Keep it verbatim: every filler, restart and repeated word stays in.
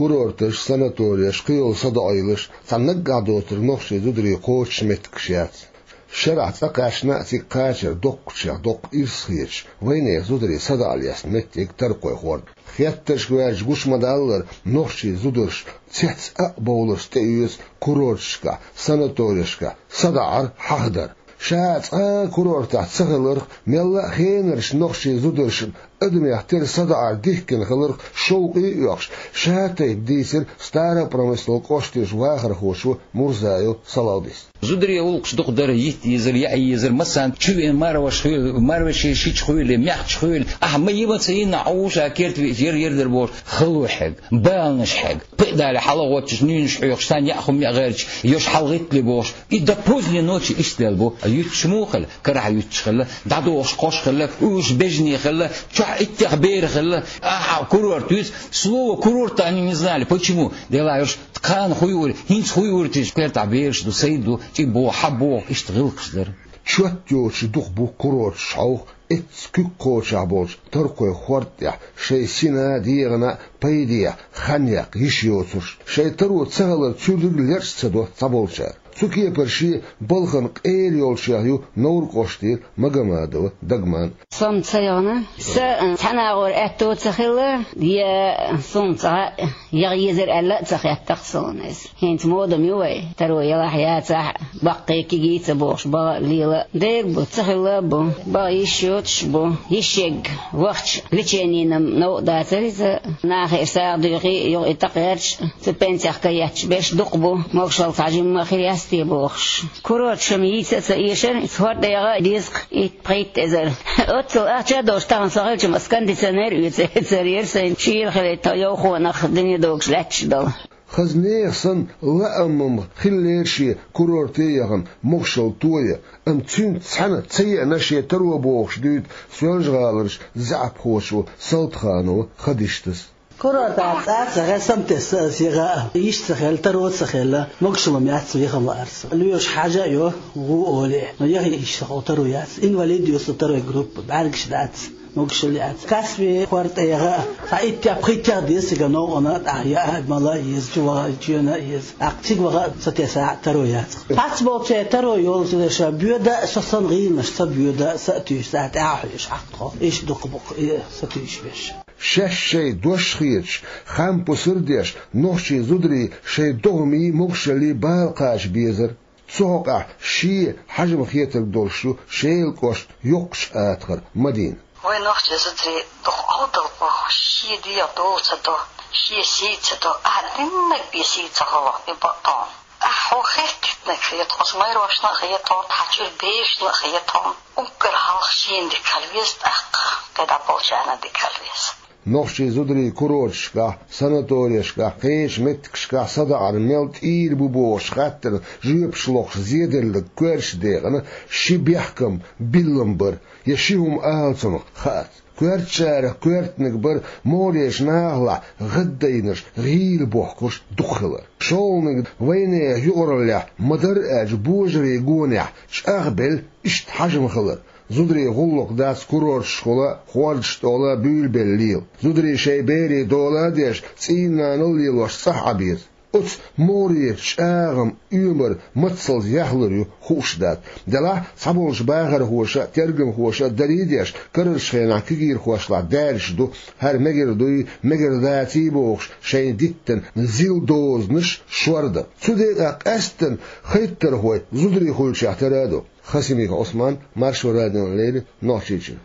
Курорташ, санатореш, кхыйола садоӀийлаш цхьа наггахь доцург нохчийн зударий кхочуш меттигаш яц. Шарахь цӀа кхаьчна а, цига кхачар доккхачех доккха ирс хеташ, вайнехан зударий садаӀа лестийта меттиг Таркхойн хӀорд. Хеттаршка ваьлча гуш ма-даллара, нохчийн зударий цец а бовларца тӀеоьцу курорташкахь, санаторешкахь садаӀар хьахадар. Ша цкъа а курортехь ца хиларх, мелла а хенарчу нохчийн зударшна адамех тера садаӀар дихкина хиларх шовкъе а оьхуш, шатайпа дийцира Старопромысловски кӀоштан вахархочо Мурзаев Салавдис. Зударийн гӀуллакхаш дукха дара, йита езар, яа езар, массарна чу веана марваш хуьлу, марваш шича хуьлу, мехча хуьлу, ахьа ма йима ца йина, Ӏуша керта веача яр-яр дара бохуш, хало хьега, баланаш хьега, пхи а дале хьалагӀоттуш, нуьйнаш хьоькхуш, царна яа хӀума яа гӀерташ, йош хьалагӀиттале бохуш, и до поздней ночи иштта лелла бу. Юьтуш муха хилла? Карахь юьтуш хилла, дӀадохуш кхош хилла, уьш бежане хилла, чохь иттех бер хилла, ахьа курорт вуьза, слово курорта они не знали. Почему? Делахь уьш, тхан хуй ур, хӀинца хуй ур тиша, кхертахь бераш ду, сай ду, чӀи боху, хьа боху, иштта гӀиллакхаш дара. Чот йоцуш дукха бу курорташ хьовха, эцца куьг кхочехь болчу Таркхойн хӀорда тӀехь шайн сина а, дегӀана а пайдехьа хан яккха йиш йоцурш. Шайн таро ца хилар цуьрриг лерч ца до цхьаболчара. Цу кепара шен балхана къера йолчех ю Невран кӀоштера Магомадова Дагман. Со-м ца йогӀна, сан цхьана агӀор аьтто ца хилла, я суна цкъа а яха езар аьлла а ца хеттара суна иза. ХӀинца мода-м ю вайн, таро ялахь а, яцахь а, баккхий, кегий ца бохуш, баха а, лела а. Дера бу, ца хилла а бу, баха йиш йоцуш а бу, йиш ерг вахча лечениена-м новкъа дацара иза. Нахера сагӀа дуьйхий а, юха и тӀекхаьчча, цу пенсех кхаьчча берш дукха бу, могушалла цхьа жимма хир яц те бохуш. Курорташ-м йийца а ца эшара, иза хӀорда яха а деза-кх, итт-пхийтта эзар. Оццул ахча а долуш, тахана со хилча-м ас кондиционер оьцур яра сайна, шийла хилийта йовхонах дуьне догуш лаьтташ долу. Хаза нехан санна лаам-м хиллера шен курорте а яхана, могушалла тоян, амма цуьнца цхьаьна ца еана шен таро бохуш дуьйцу Соьлжа-ГӀаларчу заьӀапхочо Салтаханова Хадиштас. Курорта цӀа а ца хилла, сам тесна аса яха а, йиш ца хилла, таро ца хилла, могушалла-м яц, вехам лаьара со. Лоьраш хьажа а йо, гӀу олий, но яхийта йиш ца хилла, таро яц. Инвалид ю со, второй группа, бӀаьргаш дац, могушалла яц. Каспи хӀорда тӀе яха а, цхьа иттех-пхиттех деза цига новкъана, тӀаьхьа яа а, мала а еза, чу ваха а, чоьна а еза. ТӀаккха цига ваха а ца тесахь а, таро яц. Цхьаболчеран таро йолчу дешан боьда а, со санна гӀийланаш ца боьда а, са а туьйсу, цхьа тӀаьхьа хьоьжуш хьакхо, иштта дукха бу-кх и сатуьйсуш берш. Шаьш шайн дош хеташ, хан пусар а деш, нохчийн зударий шайн догӀмий, могушаллий бала кхача безара. Цу хьокъехь шен хьежам хетарг долуш ю Шелан кӀоштан Йоккхачу Атагара Мадина. Вай нохчийн зударий дукха Ӏовдал бу, шен дегӀ дола ца до, шен сий ца до, ахьа диннарг бен сий ца хуьлу и бакъдолу. Ахьа хӀун хеттитнарг хета, оцу майрошна а хета, тхан чуьра берашна а хета, уггар хьалха шена дика хила веза тӀаккха, кхидӀа болчарна дика хила веза. Нохчийн зударий курорташкахь, санаторешкахь, кхечу меттигашкахь садаӀар мел тӀийр бу бохуш хаттарна жоьпаш лохуш зеделларг коьртачу декъана ши бехкам, биллам бара, я ши хӀума ала цунах хаац. Коьртачарах коьртаниг бара могӀарерчу нахалахь гӀаддайнарш, гӀийла бохкурш дукха хилар. ШолгӀаниг вайнехан юкъараллехь ма-дарра аьлча божарийн гонехь чӀагӀбелла иштта хьажам хилар. Зударийн гӀуллакх дац курорташкахула, хӀордаш тӀехула буьйлабелла лела. Зударий шайн берийн дола а деш, цӀийнан нанал лелош цӀахь Ӏан беза. Оцу могӀарерчу чӀагӀам, оьмар мацалла яхлур ю, хууш дац. Делахь цхьаболчу бахархоша а, тергамхоша а дарий а деш, карарчу хенахь кегийрхошлахь даьржаш ду, хӀара мегар дуй, мегар даций бохуш, шайна диттина зил дозанаш шордан. Цу декъехь къаьсттина хӀоттархой зударий хуьлучех тера а ду. Хасимиков Ӏусман, Маршо радиона леррина, Нохчийчуьра.